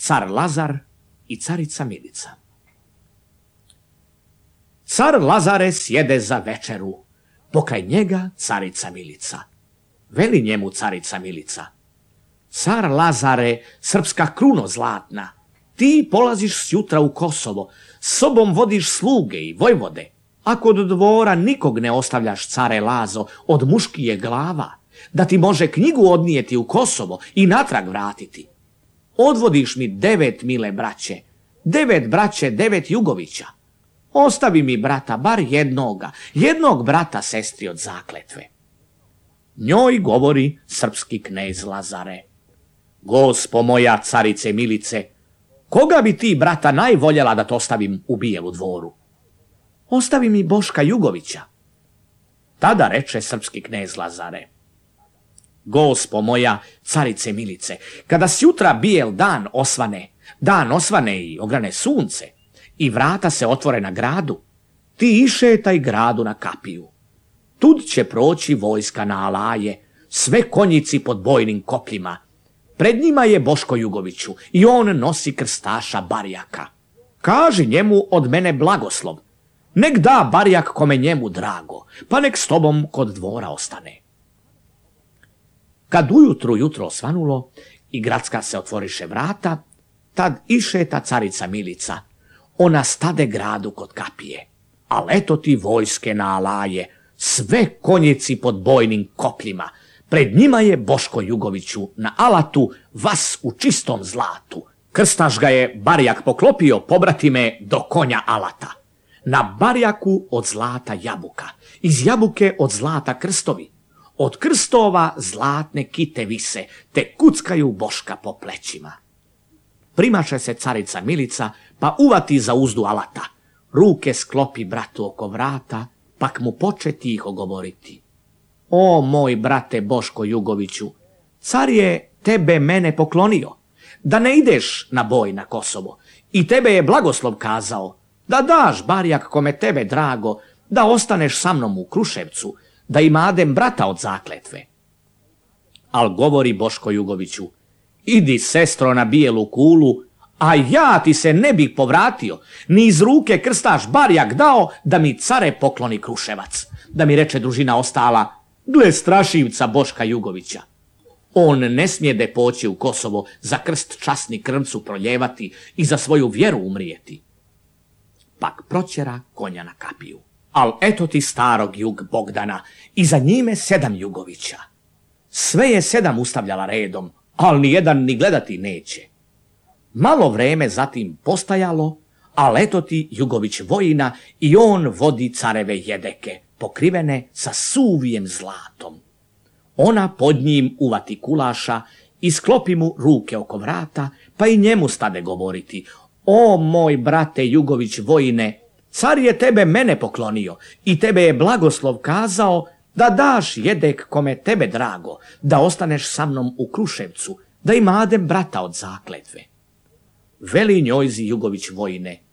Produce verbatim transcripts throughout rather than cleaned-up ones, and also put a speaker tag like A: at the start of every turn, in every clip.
A: car Lazar i carica Milica. Car Lazare sjede za večeru, pokraj njega carica Milica. Veli njemu carica Milica: car Lazare, srpska kruno zlatna, ti polaziš sjutra u Kosovo, s sobom vodiš sluge i vojvode, a kod dvora nikog ne ostavljaš, care Lazo, od muškije glava, da ti može knjigu odnijeti u Kosovo i natrag vratiti. Odvodiš mi devet mile braće, devet braće, devet Jugovića. Ostavi mi brata, bar jednoga, jednog brata sestri od zakletve. Njoj govori srpski knez Lazare: gospo moja carice Milice, koga bi ti brata najvoljela da to ostavim u Bijelu dvoru? Ostavi mi Boška Jugovića. Tada reče srpski knez Lazare: gospo moja carice Milice, kada sjutra bijel dan osvane, dan osvane i ograne sunce, i vrata se otvore na gradu, ti išetaj gradu na kapiju. Tud će proći vojska na alaje, sve konjici pod bojnim kopljima. Pred njima je Boško Jugoviću i on nosi krstaša Barjaka. Kaži njemu od mene blagoslov, nek da Barjak kome njemu drago, pa nek s tobom kod dvora ostane. Kad ujutru jutro osvanulo i gradska se otvoriše vrata, tad išeta carica Milica. Ona stade gradu kod kapije, al eto ti vojske na alaje, sve konjici pod bojnim kopljima. Pred njima je Boško Jugoviću na alatu, vas u čistom zlatu. Krstaš ga je Barjak poklopio, pobratime, do konja alata. Na Barjaku od zlata jabuka, iz jabuke od zlata krstovi. Od krstova zlatne kite vise, te kuckaju Boška po plećima. Primaše se carica Milica, pa uvati za uzdu alata. Ruke sklopi bratu oko vrata, pak mu poče tiho govoriti: o moj brate Boško Jugoviću, car je tebe mene poklonio, da ne ideš na boj na Kosovo, i tebe je blagoslov kazao, da daš Barjak kome tebe drago, da ostaneš sa mnom u Kruševcu, da imadem brata od zakletve. Al govori Boško Jugoviću: idi sestro na Bijelu kulu, a ja ti se ne bih povratio, ni iz ruke krstaš Barjak dao, da mi care pokloni Kruševac. Da mi reče družina ostala: gle strašivca Boška Jugovića. On ne smijede poći u Kosovo za krst časni krvcu proljevati i za svoju vjeru umrijeti. Pak proćera konja na kapiju. Al eto ti starog Jug Bogdana i za njime sedam Jugovića. Sve je sedam ustavljala redom, al ni jedan ni gledati neće. Malo vreme zatim postajalo, al eto ti Jugović vojina i on vodi careve jedeke, pokrivene sa suvijem zlatom. Ona pod njim uvati kulaša i sklopi mu ruke oko vrata, pa i njemu stade govoriti: o moj brate Jugović vojine, car je tebe mene poklonio i tebe je blagoslov kazao da daš jedek kome tebe drago, da ostaneš sa mnom u Kruševcu, da imadem brata od zakletve. Veli njojzi Jugović vojine: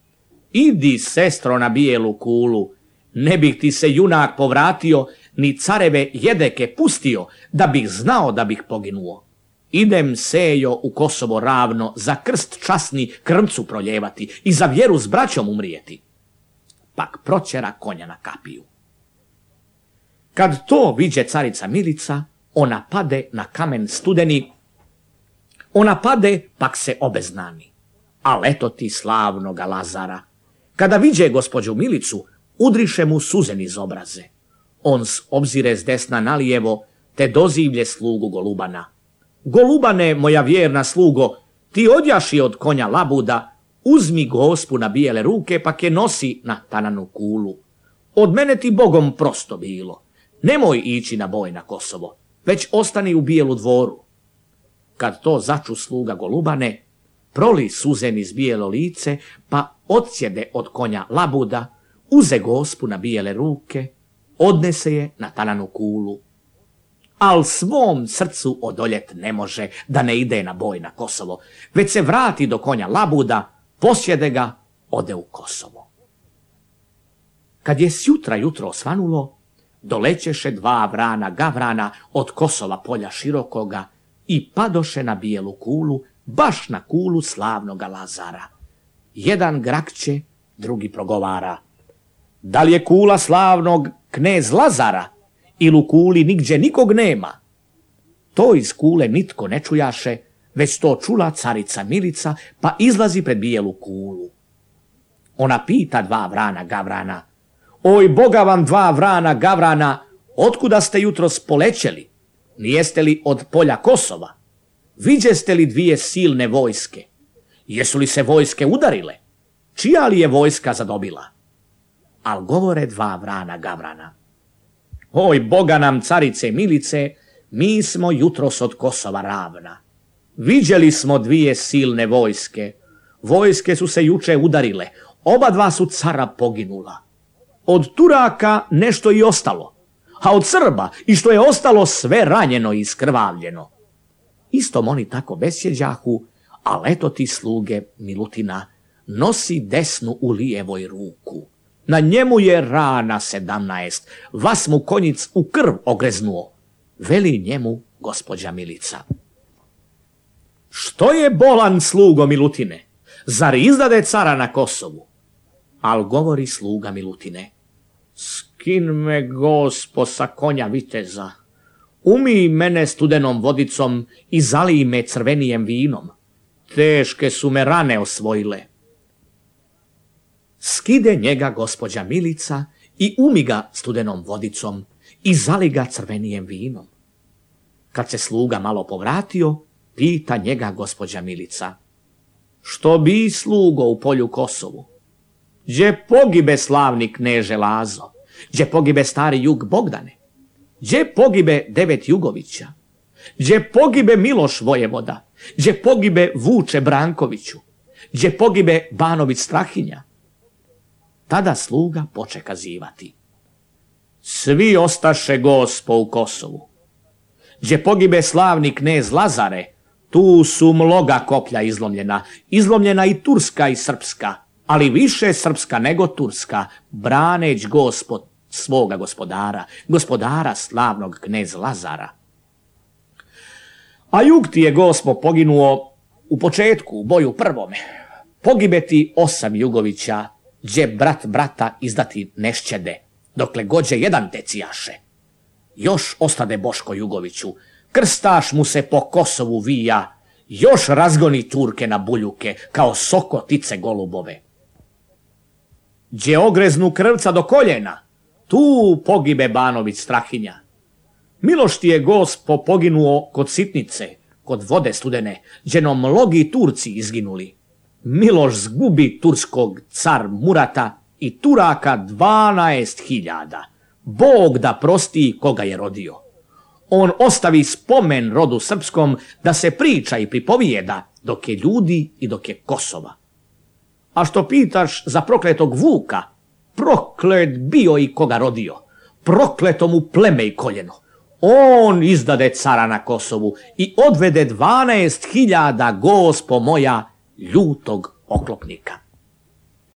A: idi sestro na Bijelu kulu, ne bih ti se junak povratio, ni careve jedeke pustio, da bih znao da bih poginuo. Idem sejo u Kosovo ravno, za krst časni krvcu proljevati i za vjeru s braćom umrijeti. Pak proćera konja na kapiju. Kad to viđe carica Milica, ona pade na kamen studeni, ona pade, pak se obeznani. Al eto ti slavnoga Lazara. Kada viđe gospođu Milicu, udriše mu suze niz obraze. On s obzire s desna nalijevo, te dozivlje slugu Golubana: Golubane, moja vjerna slugo, ti odjaši od konja labuda, uzmi gospu na bijele ruke, pak je nosi na tananu kulu. Od mene ti Bogom prosto bilo. Nemoj ići na boj na Kosovo, već ostani u Bijelu dvoru. Kad to začu sluga Golubane, proli suze niz bijelo lice, pa odsjede od konja labuda, uze gospu na bijele ruke, odnese je na tananu kulu. Al svom srcu odoljet ne može da ne ide na boj na Kosovo, već se vrati do konja labuda, posjede ga, ode u Kosovo. Kad je sjutra jutro osvanulo, dolećeše dva vrana gavrana od Kosova polja širokoga i padoše na Bijelu kulu baš na kulu slavnoga Lazara. Jedan grakće, drugi progovara: da li je kula slavnog knez Lazara, ili u kuli nigdje nikog nema? To iz kule nitko ne čujaše, već to čula carica Milica, pa izlazi pred bijelu kulu. Ona pita dva vrana Gavrana: oj, boga vam dva vrana Gavrana, otkuda ste jutros polećeli? Nijeste li od polja Kosova? Viđeste li dvije silne vojske? Jesu li se vojske udarile? Čija li je vojska zadobila? Al govore dva vrana Gavrana: oj, boga nam carice Milice, mi smo jutros od Kosova ravna. Viđeli smo dvije silne vojske. Vojske su se juče udarile, oba dva su cara poginula. Od Turaka nešto i ostalo, a od Srba i što je ostalo sve ranjeno i iskrvavljeno. Istom oni tako besjeđahu, a leto ti sluge Milutina nosi desnu u lijevoj ruku. Na njemu je rana sedamnaest, vas mu konjic u krv ogreznuo, veli njemu gospođa Milica. Što je bolan, slugo Milutine? Zar izdade cara na Kosovu? Al govori sluga Milutine: skin me, gospo, sa konja viteza, umij mene studenom vodicom i zalij me crvenijem vinom. Teške su me rane osvojile. Skide njega gospođa Milica i umi ga studenom vodicom i zali ga crvenijem vinom. Kad se sluga malo povratio, pita njega gospođa Milica: što bi, slugo, u polju Kosovu? Gdje pogibe slavni kneže Lazo? Gdje pogibe stari jug Bogdane? Gdje pogibe devet Jugovića? Gdje pogibe Miloš Vojevoda? Gdje pogibe Vuče Brankoviću? Gdje pogibe Banović Strahinja? Tada sluga poče kazivati: svi ostaše, gospo, u Kosovu. Gdje pogibe slavni knez Lazare, tu su mnoga koplja izlomljena, izlomljena i turska i srpska, ali više srpska nego turska, braneć gospod svoga gospodara, gospodara slavnog knez Lazara. A jug ti je, gospo, poginuo u početku, u boju prvome. Pogibe ti osam Jugovića, gdje brat brata izdati nešćede, dokle gođe jedan tecijaše. Još ostade Boško Jugoviću, krstaš mu se po Kosovu vija, još razgoni Turke na buljuke, kao sokotice golubove. Gdje ogreznu krvca do koljena, tu pogibe Banović Strahinja. Miloš ti je, gospo, poginuo kod Sitnice, kod vode studene, gdje no mnogi Turci izginuli. Miloš zgubi turskog car Murata i Turaka dvanaest hiljada. Bog da prosti koga je rodio. On ostavi spomen rodu srpskom da se priča i pripovijeda dok je ljudi i dok je Kosova. A što pitaš za prokletog Vuka, proklet bio i koga rodio, prokleto mu pleme i koljeno. On izdade cara na Kosovu i odvede dvanaest hiljada, gospo moja, ljutog oklopnika.